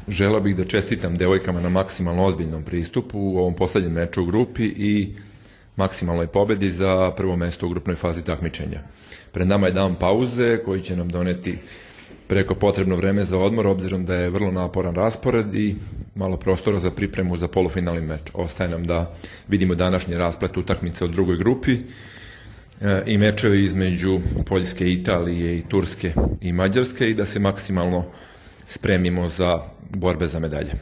Želeo bih da čestitam devojkama na maksimalno ozbiljnom pristupu u ovom poslednjem meču u grupi i maksimalnoj pobedi za prvo mesto u grupnoj fazi takmičenja. Pred nama je dan pauze koji će nam doneti preko potrebno vreme za odmor, obzirom da je vrlo naporan raspored i malo prostora za pripremu za polufinalni meč. Ostaje nam da vidimo današnji rasplet utakmice u drugoj grupi i mečevi između Poljske, Italije i Turske i Mađarske i da se maksimalno spremimo za borbe za medalje.